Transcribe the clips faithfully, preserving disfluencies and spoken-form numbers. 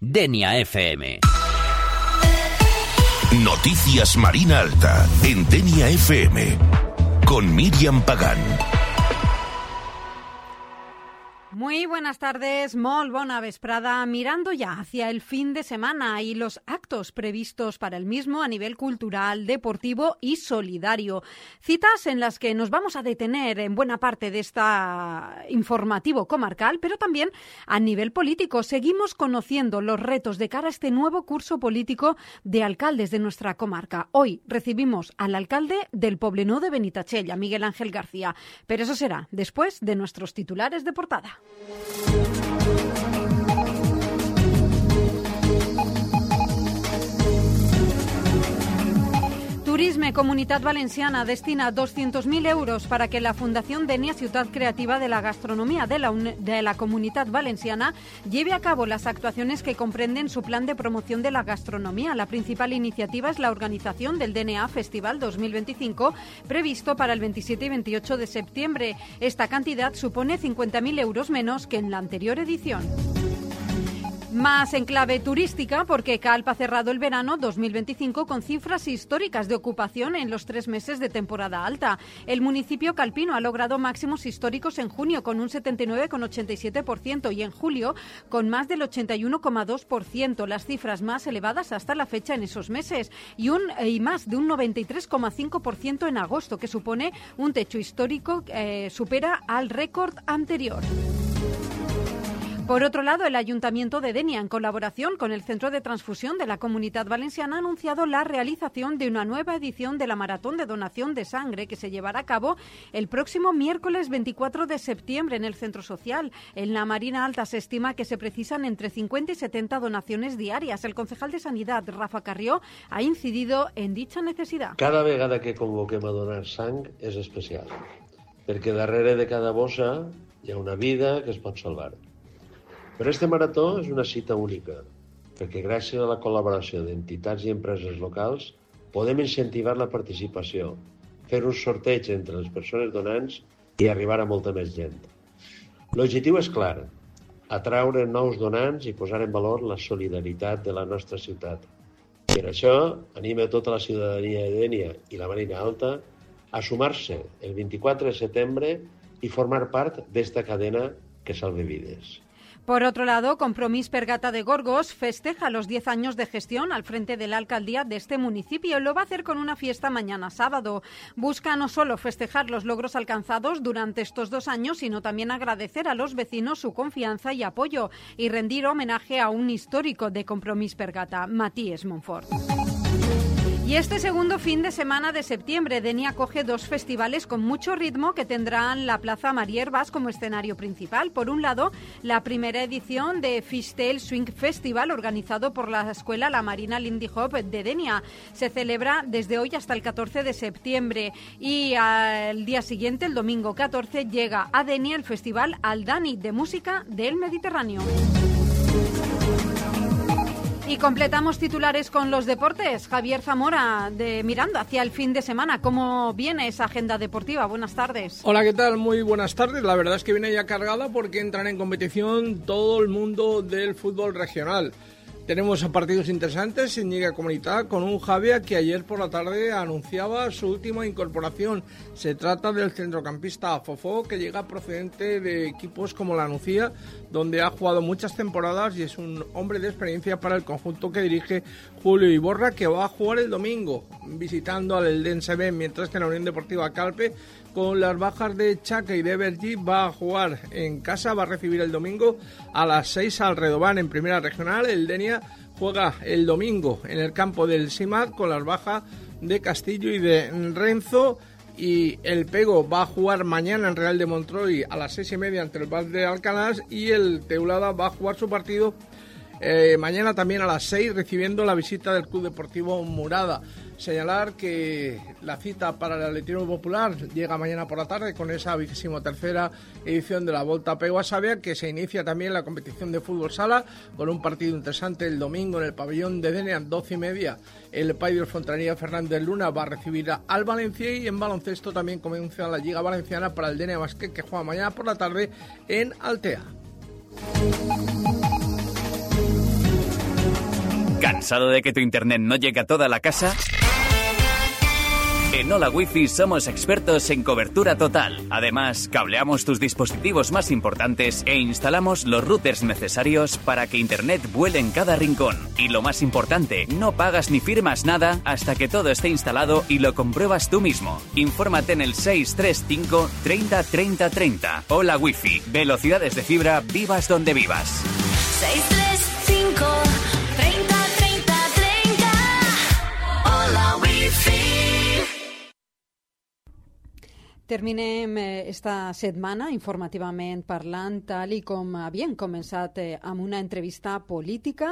Denia F M. Noticias Marina Alta en Denia F M con Miriam Pagán. Muy buenas tardes, molt bona vesprada. Mirando ya hacia el fin de semana y los actos previstos para el mismo a nivel cultural, deportivo y solidario. Citas en las que nos vamos a detener en buena parte de este informativo comarcal, pero también a nivel político. Seguimos conociendo los retos de cara a este nuevo curso político de alcaldes de nuestra comarca. Hoy recibimos al alcalde del Poblenou de Benitatxell, a Miguel Ángel García. Pero eso será después de nuestros titulares de portada. Turisme Comunitat Valenciana destina doscientos mil euros para que la Fundación Denia Ciutat Creativa de la Gastronomía de la, de la Comunitat Valenciana lleve a cabo las actuaciones que comprenden su plan de promoción de la gastronomía. La principal iniciativa es la organización del D N A Festival dos mil veinticinco, previsto para el veintisiete y veintiocho de septiembre. Esta cantidad supone cincuenta mil euros menos que en la anterior edición. Más en clave turística, porque Calpe ha cerrado el verano dos mil veinticinco con cifras históricas de ocupación en los tres meses de temporada alta. El municipio calpino ha logrado máximos históricos en junio con un setenta y nueve coma ochenta y siete por ciento y en julio con más del ochenta y uno coma dos por ciento, las cifras más elevadas hasta la fecha en esos meses, y, un, y más de un noventa y tres coma cinco por ciento en agosto, que supone un techo histórico que eh, supera al récord anterior. Por otro lado, el Ayuntamiento de Denia, en colaboración con el Centro de Transfusión de la Comunitat Valenciana, ha anunciado la realización de una nueva edición de la Maratón de Donación de Sangre que se llevará a cabo el próximo miércoles veinticuatro de septiembre en el Centro Social. En la Marina Alta se estima que se precisan entre cincuenta y setenta donaciones diarias. El concejal de Sanidad, Rafa Carrió, ha incidido en dicha necesidad. Cada vegada que convoquem a donar sang és especial, perquè darrere de cada bossa hi ha una vida que es pot salvar. Però este marató és una cita única, perquè gràcies a la col·laboració d'entitats i empreses locals podem incentivar la participació, fer un sorteig entre les persones donants i arribar a molta més gent. L'objectiu és clar, atraure nous donants i posar en valor la solidaritat de la nostra ciutat. Per això, anima tota la ciutadania de Denia i la Marina Alta a sumar-se el veinticuatro de setembre i formar part d'esta cadena que salve vides. Por otro lado, Compromís per Gata de Gorgos festeja los diez años de gestión al frente de la alcaldía de este municipio. Lo va a hacer con una fiesta mañana sábado. Busca no solo festejar los logros alcanzados durante estos dos años, sino también agradecer a los vecinos su confianza y apoyo y rendir homenaje a un histórico de Compromís per Gata, Matías Monfort. Y este segundo fin de semana de septiembre, Denia acoge dos festivales con mucho ritmo que tendrán la Plaza Marierbas como escenario principal. Por un lado, la primera edición de Fishtail Swing Festival, organizado por la Escuela La Marina Lindy Hop de Denia. Se celebra desde hoy hasta el catorce de septiembre y al día siguiente, el domingo catorce, llega a Denia el Festival Aldani de Música del Mediterráneo. Y completamos titulares con los deportes. Javier Zamora, de mirando hacia el fin de semana. ¿Cómo viene esa agenda deportiva? Buenas tardes. Hola, ¿qué tal? Muy buenas tardes. La verdad es que viene ya cargada porque entran en competición todo el mundo del fútbol regional. Tenemos partidos interesantes en Lliga Comunitat con un Javier que ayer por la tarde anunciaba su última incorporación. Se trata del centrocampista Fofó, que llega procedente de equipos como la Nucía, donde ha jugado muchas temporadas y es un hombre de experiencia para el conjunto que dirige Julio Iborra, que va a jugar el domingo visitando al Eldense B, mientras que la Unión Deportiva Calpe, con las bajas de Chaca y de Bergi, va a jugar en casa, va a recibir el domingo a las seis al Redován en Primera Regional. El Denia juega el domingo en el campo del Simat con las bajas de Castillo y de Renzo, y el Pego va a jugar mañana en Real de Montroy a las seis y media ante el Val de Alcanar, y el Teulada va a jugar su partido eh, mañana también a las seis, recibiendo la visita del Club Deportivo Murada. Señalar que la cita para el atletismo popular llega mañana por la tarde con esa vigésimo tercera edición de la Volta Pego a Sabia, que se inicia también la competición de fútbol sala con un partido interesante el domingo en el pabellón de Denia, doce y media. El Paidor Fontanilla Fernández Luna va a recibir al Valencia, y en baloncesto también comienza la Liga Valenciana para el Denia Basket, que juega mañana por la tarde en Altea. ¿Cansado de que tu internet no llegue a toda la casa? En Hola Wi-Fi somos expertos en cobertura total. Además, cableamos tus dispositivos más importantes e instalamos los routers necesarios para que Internet vuele en cada rincón. Y lo más importante, no pagas ni firmas nada hasta que todo esté instalado y lo compruebas tú mismo. Infórmate en el seis tres cinco treinta treinta treinta. Hola Wi-Fi. Velocidades de fibra, vivas donde vivas. seis tres cinco treinta treinta treinta. Hola Wi-Fi. Terminem esta setmana informativament parlant, tal i com havien començat eh, amb una entrevista política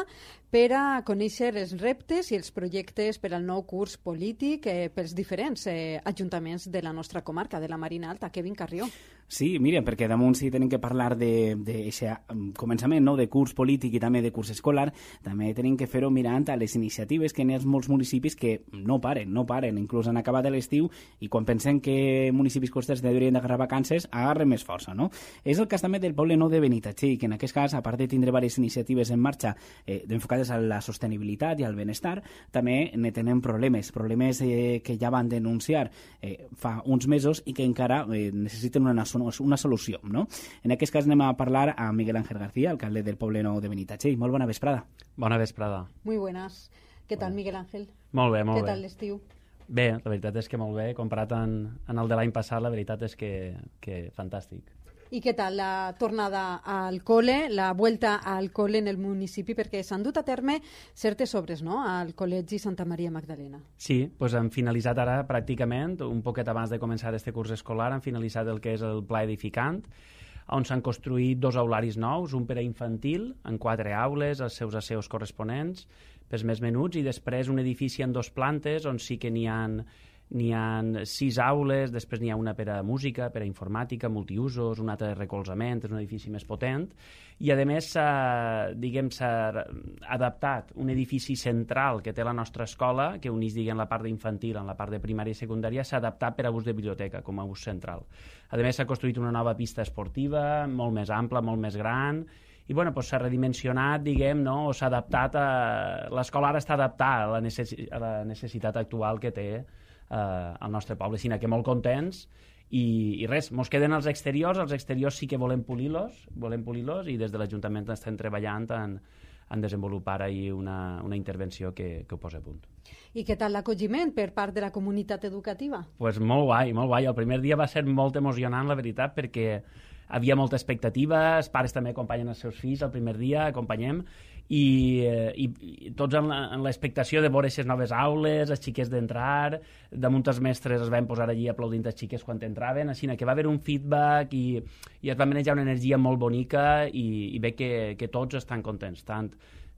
per a conèixer els reptes i els projectes per al nou curs polític eh, pels diferents eh, ajuntaments de la nostra comarca, de la Marina Alta. Kevin Carrió. Sí, mira, perquè damunt si tenim que parlar d'aquest començament, no?, de curs polític i també de curs escolar, també tenim que fer-ho mirant a les iniciatives que n'hi ha molts municipis que no paren, no paren, inclús han acabat l'estiu i quan pensem que municipis costers deurien d'agarrar vacances, agarren més força, no? És el cas també del poble nou de Benitatxell, que en aquest cas, a part de tindre diverses iniciatives en marxa eh, enfocades a la sostenibilitat i al benestar, també ne tenen problemes, problemes eh, que ja van denunciar eh, fa uns mesos i que encara eh, necessiten una una solució, no? En aquest cas anem a parlar a Miguel Ángel García, alcalde del poble nou de Benitatxell. Molt bona vesprada. Bona vesprada. Muy buenas. ¿Qué tal, Miguel Ángel? Molt bé, molt bé. Què tal l'estiu? Bé, la veritat és que molt bé. Comparat en, en el de l'any passat, la veritat és que, que fantàstic. ¿Y qué tal la tornada al cole, la vuelta al cole en el municipi? Perquè s'han dut a terme certes obres, no?, al Col·legi Santa Maria Magdalena. Sí, doncs hem finalitzat ara pràcticament, un poquet abans de començar este curs escolar, han finalitzat el que és el pla edificant, on s'han construït dos aularis nous, un per a infantil, en quatre aules, els seus asseus corresponents, pels més menuts, i després un edifici en dos plantes, on sí que n'hi ha N'hi ha sis aules, després n'hi ha una per a música, per a informàtica, multiusos, una altra de recolzament, és un edifici més potent, i a més s'ha, diguem, s'ha adaptat un edifici central que té la nostra escola, que uneix, diguem, la part d'infantil amb la part de primària i secundària, s'ha adaptat per a ús de biblioteca, com a ús central. A més s'ha construït una nova pista esportiva, molt més ampla, molt més gran, i bueno, doncs s'ha redimensionat, diguem, no? O s'ha adaptat a... L'escola ara està adaptada a la, necessi... a la necessitat actual que té eh, el nostre poble, sinó que molt contents i, i res, mos queden els exteriors, els exteriors sí que volem polir-los, volem polir-los i des de l'Ajuntament estem treballant en, en desenvolupar ahir una, una intervenció que, que ho posa a punt. I què tal l'acolliment per part de la comunitat educativa? Pues molt guai, molt guai. El primer dia va ser molt emocionant, la veritat, perquè havia molta expectativa, els pares també acompanyen els seus fills el primer dia, acompanyem, i, i, i tots en l'expectació de veure aquestes noves aules, els xiquets d'entrar, damunt els mestres es van posar allí aplaudint els xiquets quan entraven, així que va haver un feedback i, i es va manejar una energia molt bonica i, i ve que, que tots estan contents, tant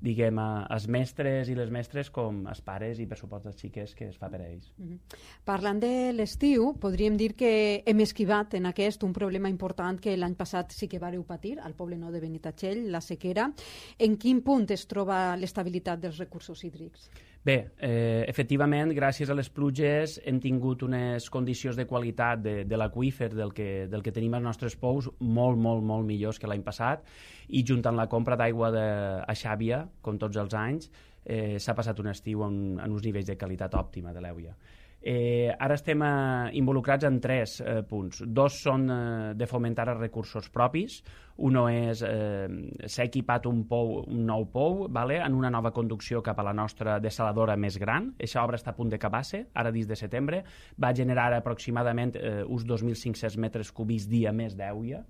diguem, els mestres i les mestres com els pares i per supost els xiquets que es fa per a ells. Mm-hmm. Parlant de l'estiu, podríem dir que hem esquivat en aquest un problema important que l'any passat sí que vareu patir al poble nou de Benitatxell, la sequera. En quin punt es troba l'estabilitat dels recursos hídrics? Bé, eh, efectivament, gràcies a les pluges hem tingut unes condicions de qualitat de, de l'aqüífer del, que, del que tenim als nostres pous molt, molt, molt millors que l'any passat i junt amb la compra d'aigua de, a Xàbia, com tots els anys, eh, s'ha passat un estiu en, en uns nivells de qualitat òptima de l'Èuia. Eh, ara estem eh, involucrats en tres eh, punts. Dos són eh, de fomentar els recursos propis. Uno és eh, s'ha equipat un, pou, un nou pou, vale, en una nova conducció cap a la nostra dessaladora més gran. Aquesta obra està a punt d'acabar-se, ara dins de setembre. Va generar aproximadament eh, uns dos mil cinc-cents metres cúbics dia més d'Èuia.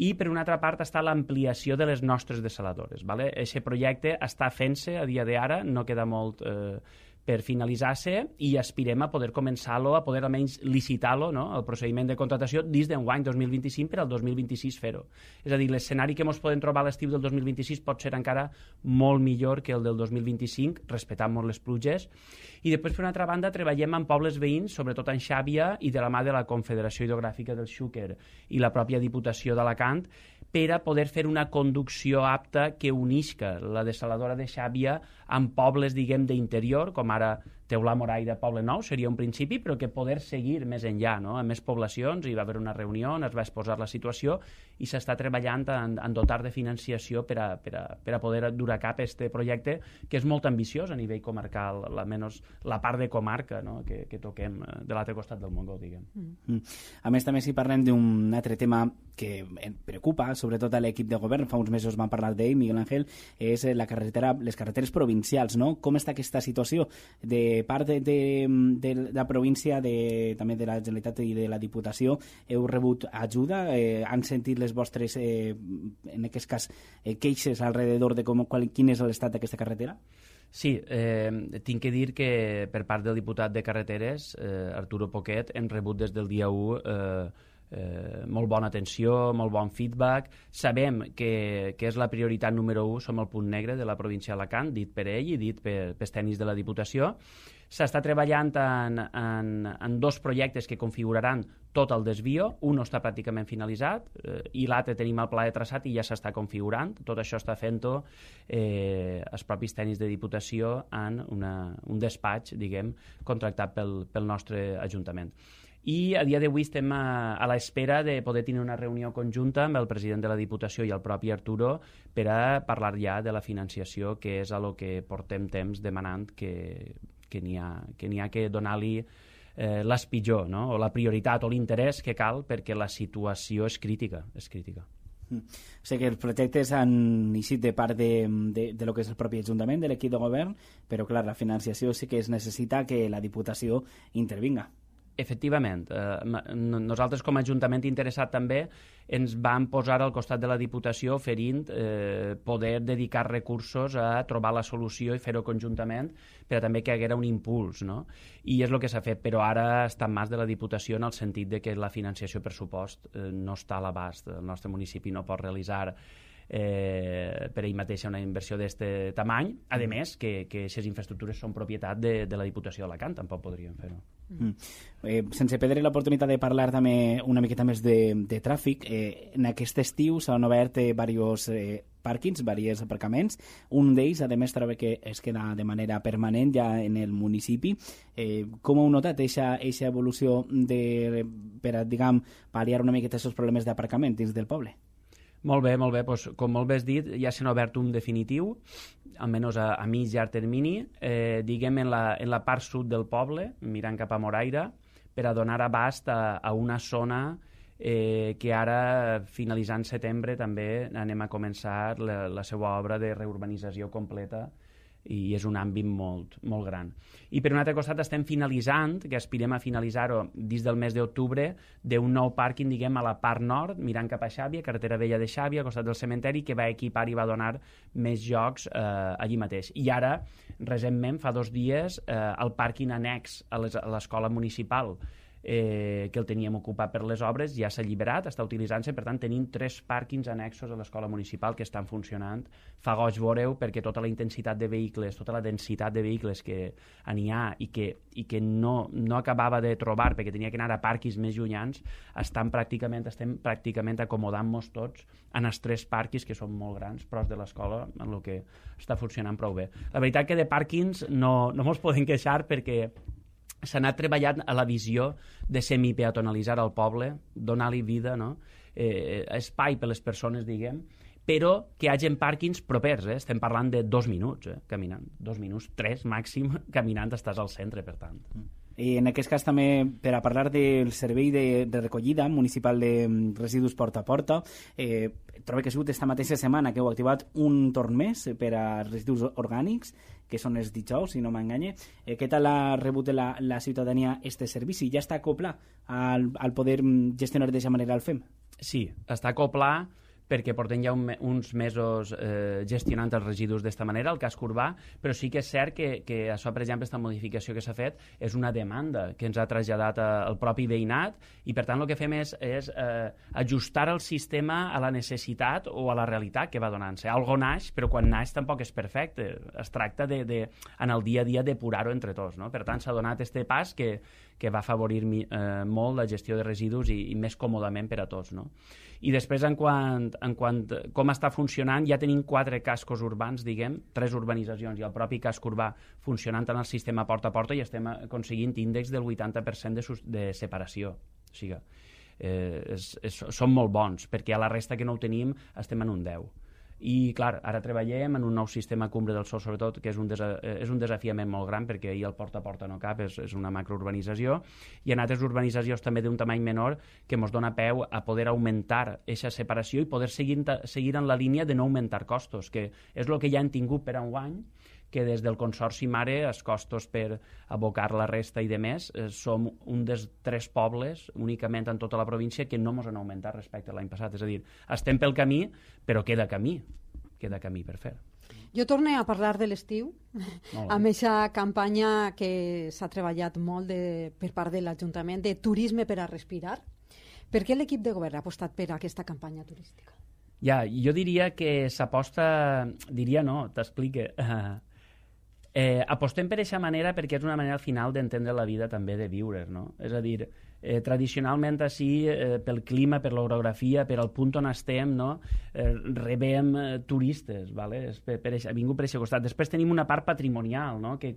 I per una altra part està l'ampliació de les nostres dessaladores. Vale? Aquest projecte està fent-se a dia d'ara, no queda molt eh, per finalitzar-se i aspirem a poder començar-lo, a poder almenys licitar-lo, no? El procediment de contratació dins d'enguany dos mil vint-i-cinc per al dos mil vint-i-sis fer-ho. És a dir, l'escenari que ens podem trobar a l'estiu del dos mil vint-i-sis pot ser encara molt millor que el del dos mil vint-i-cinc, respectant molt les pluges. I després, per una altra banda, treballem amb pobles veïns, sobretot en Xàbia i de la mà de la Confederació Hidrogràfica del Xúquer i la pròpia Diputació d'Alacant, per a poder fer una conducció apta que unisca la dessaladora de Xàbia amb pobles, diguem, d'interior, com ara Teulà, Moraira, Poble Nou seria un principi, però que poder seguir més enllà, no? A més poblacions, hi va haver una reunió on es va exposar la situació i s'està treballant en, en dotar de financiació per a, per a, per a poder dur a cap este projecte, que és molt ambiciós a nivell comarcal, almenys la part de comarca, no? que, que toquem de l'altre costat del Montgó, diguem. Mm. A més, també si parlem d'un altre tema que em preocupa, sobretot a l'equip de govern, fa uns mesos vam parlar d'ell, Miguel Ángel, és la carretera, les carreteres provincials, no? Com està aquesta situació de part de, de, de la província, de, també de la Generalitat i de la Diputació? Heu rebut ajuda? Eh, han sentit les vostres, eh, en aquest cas, eh, queixes alrededor de com, qual, quin és l'estat d'aquesta carretera? Sí, eh, tinc que dir que per part del diputat de Carreteres, eh, Arturo Poquet, hem rebut des del dia u eh, eh, molt bona atenció, molt bon feedback. Sabem que, que és la prioritat número u, som el punt negre de la província d'Alacant, dit per ell i dit per, pels tècnics de la Diputació. S'està treballant en, en, en dos projectes que configuraran tot el desvio. Un està pràcticament finalitzat eh, i l'altre tenim el pla de traçat i ja s'està configurant. Tot això està fent-ho eh, els propis tècnics de Diputació en una, un despatx, diguem, contractat pel, pel nostre Ajuntament. I a dia d'avui estem a, a l'espera de poder tenir una reunió conjunta amb el president de la Diputació i el propi Arturo per a parlar ja de la financiació, que és a lo que portem temps demanant que, que n'hi ha, que n'hi ha que donar-li eh, l'espitjor, no? O la prioritat o l'interès que cal, perquè la situació és crítica, és crítica. Mm. O sigui que els projectes han eixit de part de, de, de lo que és el propi Ajuntament, de l'equip de govern, però clar, la financiació sí que es necessita que la Diputació intervinga. Efectivament. Eh, nosaltres com a Ajuntament interessat també ens vam posar al costat de la Diputació oferint eh, poder dedicar recursos a trobar la solució i fer-ho conjuntament per a també que hi haguera un impuls, no? I és el que s'ha fet, però ara està en mans de la Diputació en el sentit de que la financiació pressupost eh, no està a l'abast. El nostre municipi no pot realitzar eh, per ell mateixa una inversió d'aquest tamany, a més que aquestes infraestructures són propietat de, de la Diputació d'Alacant, tampoc podríem fer-ho. Mm. Eh, sense perdre l'oportunitat de parlar també una miqueta més de, de tràfic, eh, en aquest estiu s'han obert eh, diversos eh, pàrquings, diversos aparcaments. Un d'ells, a més, trobo que es queda de manera permanent ja en el municipi. Eh, com heu notat aquesta evolució de, per a, diguem, pal·liar una miqueta aquests problemes d'aparcament dins del poble? Molt bé, molt bé. Pues, com molt bé has dit, ja s'ha obert un definitiu, almenys a, a mig llarg termini, eh, diguem en la, en la part sud del poble, mirant cap a Moraira, per a donar abast a, a una zona eh, que ara, finalitzant setembre, també anem a començar la, la seva obra de reurbanització completa, i és un àmbit molt, molt gran. I per un altre costat estem finalitzant, que aspirem a finalitzar-ho dins del mes d'octubre, d'un nou pàrquing, diguem, a la part nord, mirant cap a Xàbia, carretera vella de Xàbia, al costat del cementeri, que va equipar i va donar més jocs eh, allí mateix. I ara, recentment, fa dos dies, eh, el pàrquing annex a l'escola municipal, eh, que el teníem ocupat per les obres, ja s'ha alliberat, està utilitzant-se, per tant tenim tres pàrquings annexos a l'escola municipal que estan funcionant. Fa goig veure-ho perquè tota la intensitat de vehicles, tota la densitat de vehicles que n'hi ha i que, i que no, no acabava de trobar perquè tenia que anar a pàrquings més llunyans, estan pràcticament, estem pràcticament acomodant-nos tots en els tres pàrquings que són molt grans, pros de l'escola, en el que està funcionant prou bé. La veritat que de pàrquings no, no mos podem queixar perquè s'ha anat treballant a la visió de semipeatonalitzar el poble, donar-li vida, no? eh, espai per les persones, diguem, però que hi hagi pàrquings propers, eh? Estem parlant de dos minuts, eh? Caminant, dos minuts, tres màxim, caminant estàs al centre, per tant. I en aquest cas també, per a parlar del servei de, de recollida municipal de residus porta a porta, eh, trobo que ha sigut esta mateixa setmana que heu activat un torn més per a residus orgànics, que són els dijous, si no m'enganye. Eh, què tal ha rebut la, la ciutadania este servici? Ja està acoplat al, al poder gestionar d'aquesta manera el F E M? Sí, està acoplat perquè portem ja un, uns mesos eh, gestionant els residus d'esta manera, el casc urbà, però sí que és cert que, que això, per exemple, aquesta modificació que s'ha fet és una demanda que ens ha traslladat a, el propi veïnat i, per tant, el que fem és, és eh, ajustar el sistema a la necessitat o a la realitat que va donant-se. Algo naix, però quan naix tampoc és perfecte. Es tracta de, de en el dia a dia depurar-ho entre tots, no? Per tant, s'ha donat este pas que, que va afavorir eh, molt la gestió de residus i, i més còmodament per a tots, no? I després, en quant, en quant com està funcionant, ja tenim quatre cascos urbans, diguem, tres urbanitzacions i el propi casc urbà funcionant en el sistema porta a porta i estem aconseguint índex del vuitanta per cent de, de separació. O sigui, eh, és, és, són molt bons, perquè a la resta que no ho tenim estem en un deu. I, clar, ara treballem en un nou sistema Cumbre del Sol, sobretot, que és un, desa és un desafiament molt gran, perquè ahir el porta a porta no cap, és, és una macrourbanització, i en altres urbanitzacions també d'un tamany menor que ens dona peu a poder augmentar aquesta separació i poder seguir, seguir en la línia de no augmentar costos, que és el que ja hem tingut per enguany, que des del Consorci Mare els costos per abocar la resta i de més eh, som un dels tres pobles únicament en tota la província que no ens han augmentat respecte a l'any passat. És a dir, estem pel camí, però queda camí, queda camí per fer. Jo torno a parlar de l'estiu, amb aquesta campanya que s'ha treballat molt de, per part de l'Ajuntament de turisme per a respirar. Per què l'equip de govern ha apostat per aquesta campanya turística? Ja, jo diria que s'aposta, diria no, t'explique, uh, Eh, apostem per aquesta manera perquè és una manera al final d'entendre la vida també de viure, no? És a dir, eh, tradicionalment així, eh, pel clima, per l'orografia, per al punt on estem, no? eh, rebem eh, turistes, vale? És per, per eixa, vingut per aquest costat. Després tenim una part patrimonial, no? Que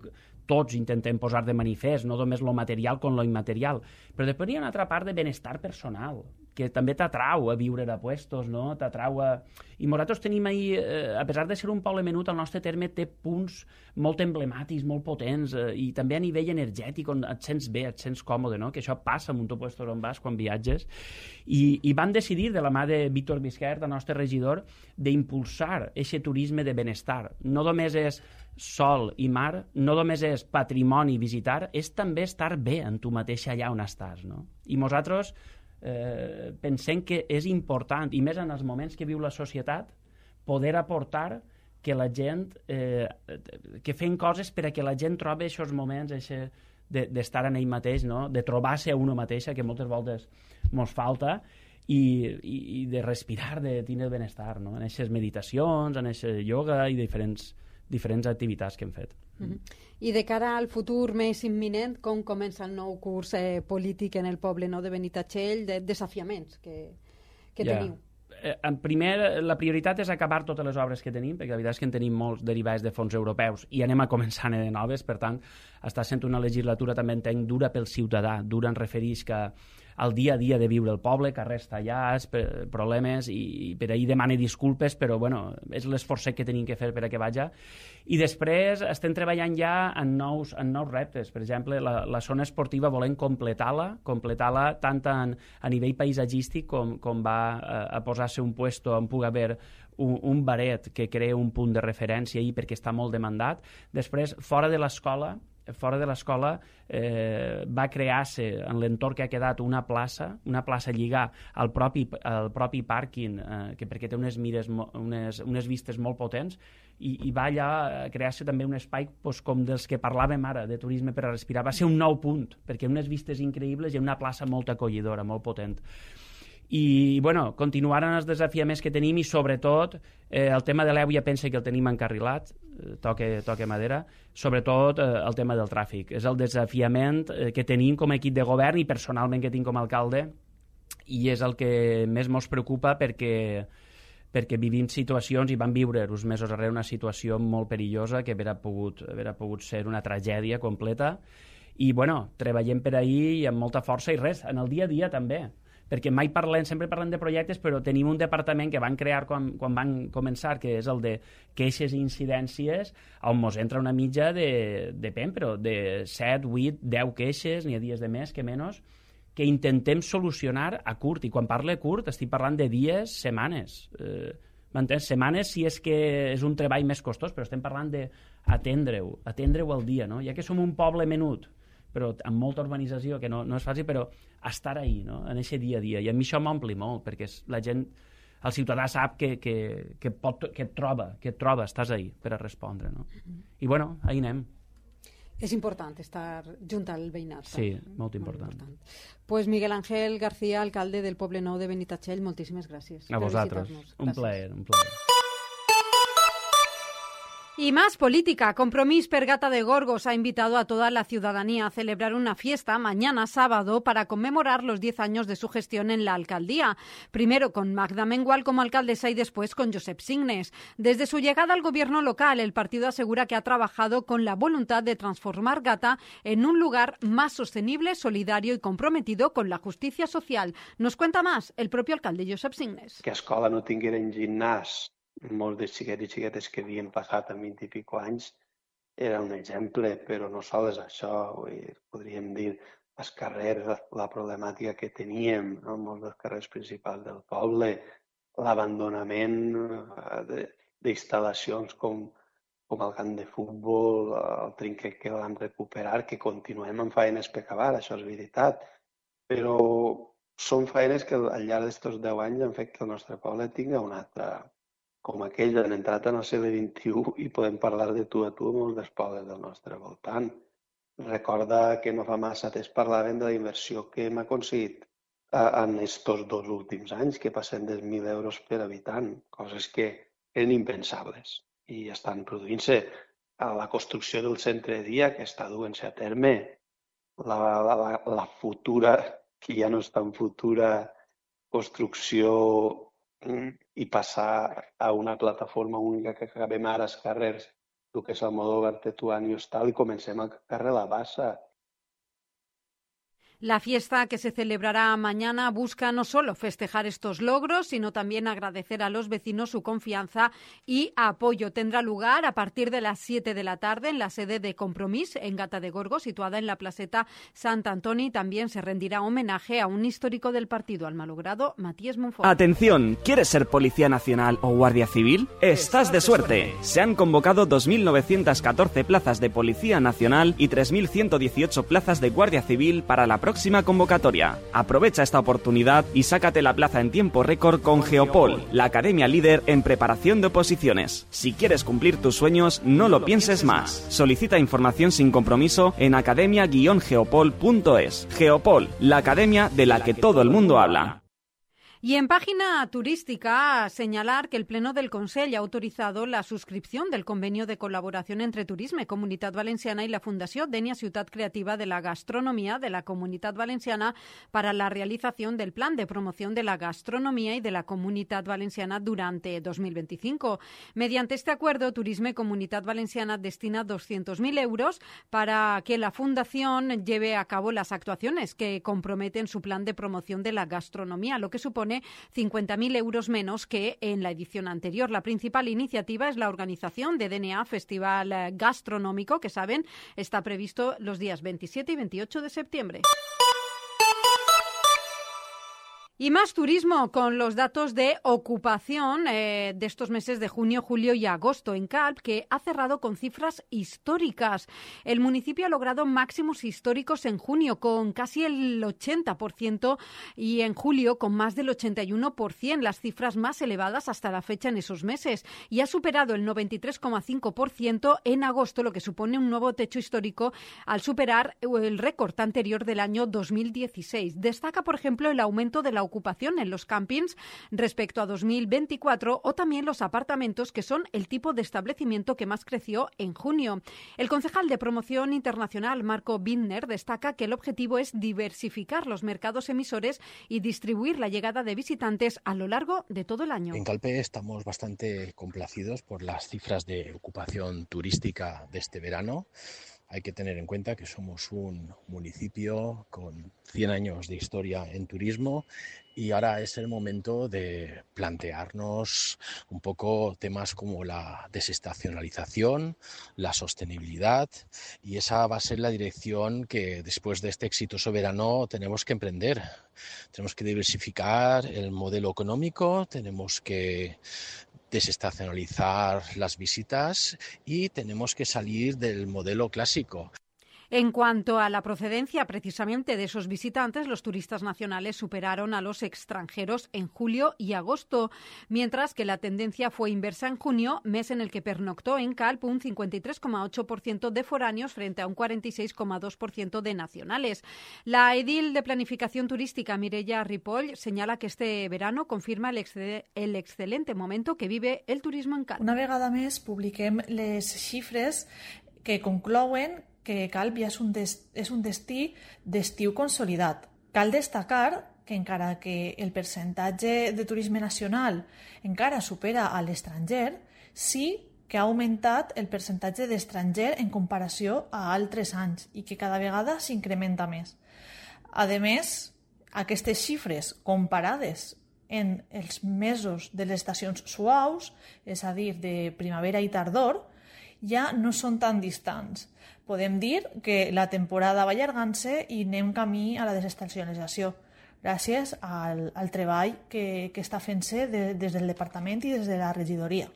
tots intentem posar de manifest, no només lo material com lo immaterial, però després hi ha una altra part de benestar personal, que també t'atrau a viure a puestos, no? T'atrau a... I nosaltres tenim ahir, eh, a pesar de ser un poble menut, el nostre terme té punts molt emblemàtics, molt potents, eh, i també a nivell energètic, on et sents bé, et sents còmode, no? Que això passa en un puestos on vas quan viatges. I, i van decidir, de la mà de Víctor Bisquert, el nostre regidor, d'impulsar aquest turisme de benestar. No només és sol i mar, no només és patrimoni visitar, és també estar bé en tu mateix allà on estàs, no? I nosaltres Eh, pensem que és important, i més en els moments que viu la societat, poder aportar que la gent, eh, que fem coses per a que la gent trobi aquests moments d'estar de, en ell mateix, no? De trobar-se a una mateixa, que moltes voltes mos falta, i, i, i de respirar, de tenir el benestar, no? En aquestes meditacions, en aquest yoga i diferents, diferents activitats que hem fet. Mm-hmm. I de cara al futur més imminent, com comença el nou curs eh, polític en el poble nou de Benitatxell, de desafiaments que, que yeah. teniu? Eh, en primer, la prioritat és acabar totes les obres que tenim, perquè la veritat és que en tenim molts derivats de fons europeus i anem a començar de noves, per tant, està sent una legislatura també entenc dura pel ciutadà, dura en refereix que al dia a dia de viure el poble, carrers tallats, problemes, i, i per ahir demane disculpes, però bueno, és l'esforç que tenim que fer per a que vaja. I després estem treballant ja en nous, en nous reptes. Per exemple, la, la zona esportiva volem completar-la, completar-la tant en, a nivell paisatgístic com, com va a, a posar-se un puesto on pugui haver un, un baret que crea un punt de referència ahir perquè està molt demandat. Després, fora de l'escola, fora de l'escola eh, va crear-se en l'entorn que ha quedat una plaça, una plaça lligar al propi, al propi pàrquing, eh, que perquè té unes, mires, unes, unes vistes molt potents, i, i va allà crear-se també un espai pues, com dels que parlàvem ara, de turisme per a respirar. Va ser un nou punt, perquè unes vistes increïbles i una plaça molt acollidora, molt potent. I, bueno, continuaran els desafiaments que tenim i, sobretot, eh, el tema de l'E U ja pensa que el tenim encarrilat, eh, toque, toque madera, sobretot eh, el tema del tràfic. És el desafiament eh, que tenim com a equip de govern i personalment que tinc com a alcalde, i és el que més ens preocupa perquè, perquè vivim situacions i vam viure uns mesos darrere una situació molt perillosa que hauria pogut, hauria pogut ser una tragèdia completa. I, bueno, treballem per ahir i amb molta força i res, en el dia a dia també, perquè mai parlem, sempre parlem de projectes, però tenim un departament que van crear quan, quan van començar, que és el de queixes i incidències, on ens entra una mitja de, depèn, però de set, vuit, deu queixes, n'hi ha dies de més que menys, que intentem solucionar a curt. I quan parle curt estic parlant de dies, setmanes. Eh, M'entens? Setmanes si és que és un treball més costós, però estem parlant d'atendre-ho, atendre-ho al dia, no? Ja que som un poble menut, però amb molta urbanització, que no, no és fàcil, però estar ahí, no? En aquest dia a dia. I a mi això m'ompli molt, perquè la gent, el ciutadà sap que, que, que, pot, que et troba, que et troba, estàs ahí per a respondre, no? I, bueno, ahí anem. És important estar junt al veïnat. Sí, molt important. Molt important. Pues Miguel Ángel García, alcalde del poble nou de Benitatxell, moltíssimes gràcies. A vosaltres. Un plaer, un plaer. Y más política. Compromís per Gata de Gorgos ha invitado a toda la ciudadanía a celebrar una fiesta mañana sábado para conmemorar los diez años de su gestión en la alcaldía. Primero con Magda Mengual como alcaldesa y después con Josep Signes. Desde su llegada al gobierno local, el partido asegura que ha trabajado con la voluntad de transformar Gata en un lugar más sostenible, solidario y comprometido con la justicia social. Nos cuenta más el propio alcalde Josep Signes. Que a escola no tingueren gimnàs, molts de xiquets i xiquetes que havien passat en vint i pico anys era un exemple, però no sols això, vull dir, podríem dir els carrers, la problemàtica que teníem en molts dels carrers principals del poble, l'abandonament d'instal·lacions com, com el camp de futbol, el trinquet que vam recuperar, que continuem amb feines per acabar, això és veritat, però són feines que al llarg d'aquests deu anys han fet que el nostre poble tingui un altre, com aquells han entrat en el segle vint-i-u i podem parlar de tu a tu amb molts dels pobles del nostre voltant. Recorda que no fa massa temps parlaven de la inversió que hem aconseguit en estos dos últims anys, que passem dels mil euros per habitant, coses que eren impensables i estan produint-se. A la construcció del centre de dia que està duent-se a terme, la, la, la futura, que ja no és tan futura, construcció i passar a una plataforma única que acabem ara als carrers, el que és el Almodóvar, Tetuán i Hostal, i comencem al carrer La Bassa. La fiesta que se celebrará mañana busca no solo festejar estos logros, sino también agradecer a los vecinos su confianza y apoyo. Tendrá lugar a partir de las siete de la tarde en la sede de Compromís, en Gata de Gorgos, situada en la placeta Sant Antoni. También se rendirá homenaje a un histórico del partido, al malogrado Matías Monfort. Atención, ¿quieres ser Policía Nacional o Guardia Civil? Estás de suerte. Se han convocado dos mil novecientas catorce plazas de Policía Nacional y tres mil ciento dieciocho plazas de Guardia Civil para la próxima próxima convocatoria. Aprovecha esta oportunidad y sácate la plaza en tiempo récord con Geopol, la academia líder en preparación de oposiciones. Si quieres cumplir tus sueños, no lo pienses más. Solicita información sin compromiso en academia guion geopol punto es. Geopol, la academia de la que todo el mundo habla. Y en página turística, señalar que el Pleno del Consell ha autorizado la suscripción del convenio de colaboración entre Turisme, Comunitat Valenciana y la Fundació Denia Ciutat Creativa de la Gastronomía de la Comunitat Valenciana para la realización del Plan de Promoción de la Gastronomía y de la Comunitat Valenciana durante dos mil veinticinco. Mediante este acuerdo, Turisme Comunitat Valenciana destina doscientos mil euros para que la Fundación lleve a cabo las actuaciones que comprometen su plan de promoción de la gastronomía, lo que supone cincuenta mil euros menos que en la edición anterior. La principal iniciativa es la organización de D N A Festival Gastronómico, que saben, está previsto los días veintisiete y veintiocho de septiembre. Y más turismo con los datos de ocupación eh, de estos meses de junio, julio y agosto en Calp, que ha cerrado con cifras históricas. El municipio ha logrado máximos históricos en junio con casi el ochenta por ciento y en julio con más del ochenta y uno por ciento, las cifras más elevadas hasta la fecha en esos meses. Y ha superado el noventa y tres coma cinco por ciento en agosto, lo que supone un nuevo techo histórico al superar el récord anterior del año dos mil dieciséis. Destaca, por ejemplo, el aumento de la ocupación en los campings respecto a dos mil veinticuatro o también los apartamentos, que son el tipo de establecimiento que más creció en junio. El concejal de Promoción Internacional, Marco Binder, destaca que el objetivo es diversificar los mercados emisores y distribuir la llegada de visitantes a lo largo de todo el año. En Calpe estamos bastante complacidos por las cifras de ocupación turística de este verano. Hay que tener en cuenta que somos un municipio con cien años de historia en turismo y ahora es el momento de plantearnos un poco temas como la desestacionalización, la sostenibilidad, y esa va a ser la dirección que después de este exitoso verano tenemos que emprender. Tenemos que diversificar el modelo económico, tenemos que desestacionalizar las visitas y tenemos que salir del modelo clásico. En cuanto a la procedencia precisamente de esos visitantes, los turistas nacionales superaron a los extranjeros en julio y agosto, mientras que la tendencia fue inversa en junio, mes en el que pernoctó en Calp un cincuenta y tres coma ocho por ciento de foráneos frente a un cuarenta y seis coma dos por ciento de nacionales. La edil de Planificación Turística, Mireia Ripoll, señala que este verano confirma el, excel el excelente momento que vive el turismo en Calp. Una vegada més publiquem les xifres que conclouen que Calp ja és un, des, és un destí d'estiu consolidat. Cal destacar que encara que el percentatge de turisme nacional encara supera a l'estranger, sí que ha augmentat el percentatge d'estranger en comparació a altres anys i que cada vegada s'incrementa més. A més, aquestes xifres comparades en els mesos de les estacions suaus, és a dir, de primavera i tardor, ja no són tan distants. Podem dir que la temporada va allargant-se i anem camí a la desestacionalització, gràcies al, al treball que, que està fent-se de, des del departament i des de la regidoria.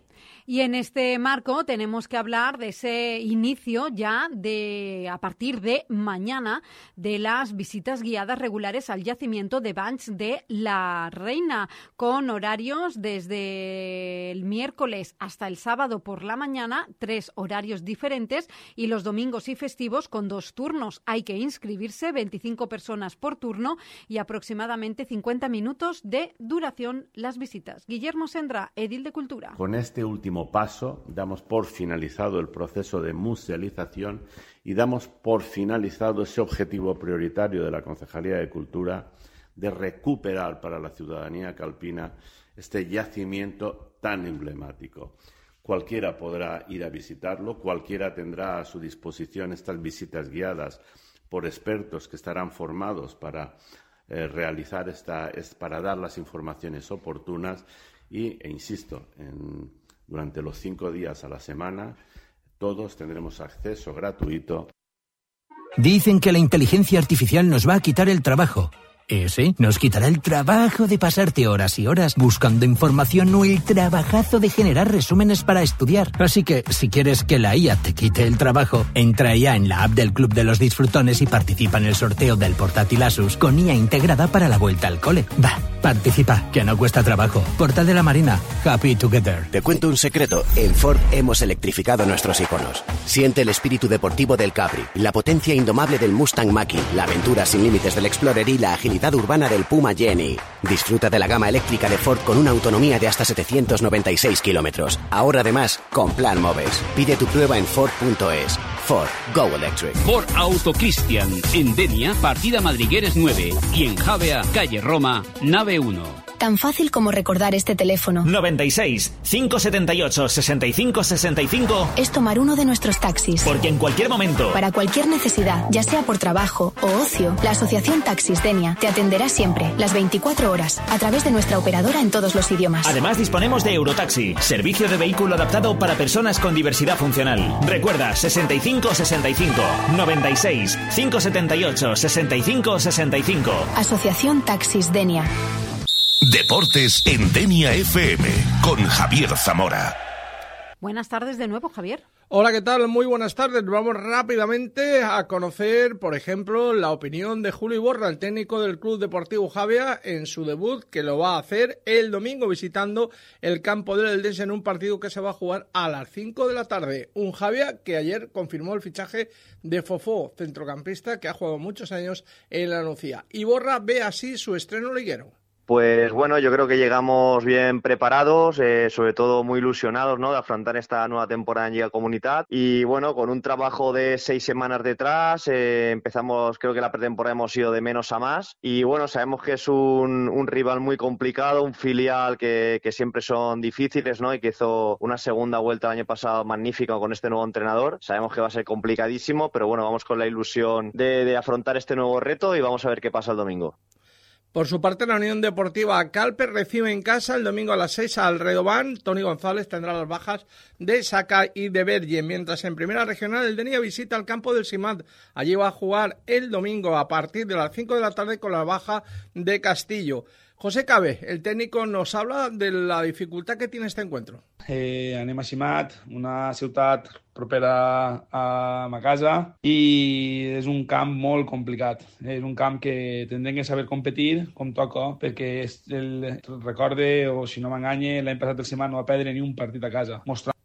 Y en este marco tenemos que hablar de ese inicio ya de a partir de mañana de las visitas guiadas regulares al yacimiento de Banys de la Reina, con horarios desde el miércoles hasta el sábado por la mañana, tres horarios diferentes, y los domingos y festivos con dos turnos. Hay que inscribirse, veinticinco personas por turno y aproximadamente cincuenta minutos de duración las visitas. Guillermo Sendra, edil de Cultura. Con este último paso damos por finalizado el proceso de musealización y damos por finalizado ese objetivo prioritario de la Concejalía de Cultura de recuperar para la ciudadanía calpina este yacimiento tan emblemático. Cualquiera podrá ir a visitarlo, cualquiera tendrá a su disposición estas visitas guiadas por expertos que estarán formados para eh, realizar esta, es, para dar las informaciones oportunas y, e insisto, en durante los cinco días a la semana, todos tendremos acceso gratuito. Dicen que la inteligencia artificial nos va a quitar el trabajo. Ese nos quitará el trabajo de pasarte horas y horas buscando información o el trabajazo de generar resúmenes para estudiar. Así que, si quieres que la I A te quite el trabajo, entra ya en la app del Club de los Disfrutones y participa en el sorteo del portátil Asus con I A integrada para la vuelta al cole. Va, participa, que no cuesta trabajo. Portal de la Marina, happy together. Te cuento un secreto. En Ford hemos electrificado nuestros iconos. Siente el espíritu deportivo del Capri, la potencia indomable del Mustang Mach-E, la aventura sin límites del Explorer y la agilidad urbana del Puma Jenny. Disfruta de la gama eléctrica de Ford con una autonomía de hasta setecientos noventa y seis kilómetros. Ahora además con Plan Moves. Pide tu prueba en Ford punto es. Ford, go electric. Ford Auto Cristian, en Denia, partida Madrigueres nueve y en Javea, calle Roma, nave uno. Tan fácil como recordar este teléfono. noventa y seis, cinco setenta y ocho, sesenta y cinco sesenta y cinco. Es tomar uno de nuestros taxis. Porque en cualquier momento, para cualquier necesidad, ya sea por trabajo o ocio, la Asociación Taxis Denia te atenderá siempre, las veinticuatro horas, a través de nuestra operadora en todos los idiomas. Además disponemos de Eurotaxi, servicio de vehículo adaptado para personas con diversidad funcional. Recuerda, sesenta y cinco sesenta y cinco, noventa y seis, cinco setenta y ocho, sesenta y cinco sesenta y cinco. Asociación Taxis Denia. Deportes en Denia F M con Javier Zamora. Buenas tardes de nuevo, Javier. Hola, ¿qué tal? Muy buenas tardes. Vamos rápidamente a conocer, por ejemplo, la opinión de Julio Iborra, el técnico del Club Deportivo Javea, en su debut, que lo va a hacer el domingo visitando el campo del Eldense en un partido que se va a jugar a las cinco de la tarde. Un Javea que ayer confirmó el fichaje de Fofó, centrocampista que ha jugado muchos años en la Nucía. Iborra ve así su estreno liguero. Pues bueno, yo creo que llegamos bien preparados, eh, sobre todo muy ilusionados, ¿no?, de afrontar esta nueva temporada en Liga Comunitat. Y bueno, con un trabajo de seis semanas detrás, eh, empezamos, creo que la pretemporada hemos ido de menos a más. Y bueno, sabemos que es un, un rival muy complicado, un filial que, que siempre son difíciles, ¿no?, y que hizo una segunda vuelta el año pasado magnífica con este nuevo entrenador. Sabemos que va a ser complicadísimo, pero bueno, vamos con la ilusión de, de afrontar este nuevo reto y vamos a ver qué pasa el domingo. Por su parte, la Unión Deportiva Calpe recibe en casa el domingo a las seis al Redován. Toni González tendrá las bajas de Saca y de Berge, mientras en Primera Regional el Denia visita el campo del Simat. Allí va a jugar el domingo a partir de las cinco de la tarde con la baja de Castillo. José Cabe, el técnico, nos habla de la dificultad que tiene este encuentro. Eh, anem a Simat, una ciutat propera a ma casa, i és un camp molt complicat. És un camp que tindrem que saber competir com toca, perquè és el, recorde, o si no m'enganye, l'any passat el Simat no va perdre ni un partit a casa. Mostrar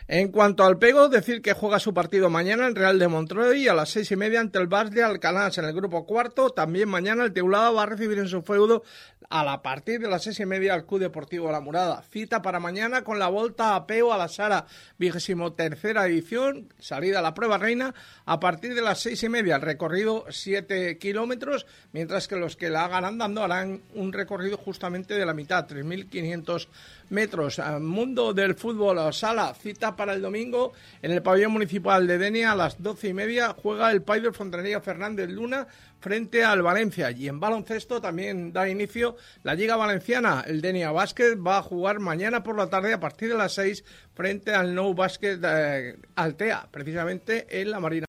En cuanto al pego, decir que juega su partido mañana el Real de Montreuil a las seis y media ante el Bas de Alcanar en el grupo cuarto. También mañana el Teulada va a recibir en su feudo a la partir de las seis y media al Club Deportivo La Murada. Cita para mañana con la Volta a Peu a la Sara, vigésimo tercera edición, salida a la prueba reina a partir de las seis y media. El recorrido siete kilómetros, mientras que los que la hagan andando harán un recorrido justamente de la mitad, tres mil quinientos metros. Mundo del fútbol sala, cita para el domingo en el pabellón municipal de Denia a las doce y media juega el Paidel Fontanería Fernández Luna frente al Valencia. Y en baloncesto también da inicio la Liga Valenciana. El Denia Básquet va a jugar mañana por la tarde a partir de las seis frente al Nou Básquet de Altea, precisamente en la Marina.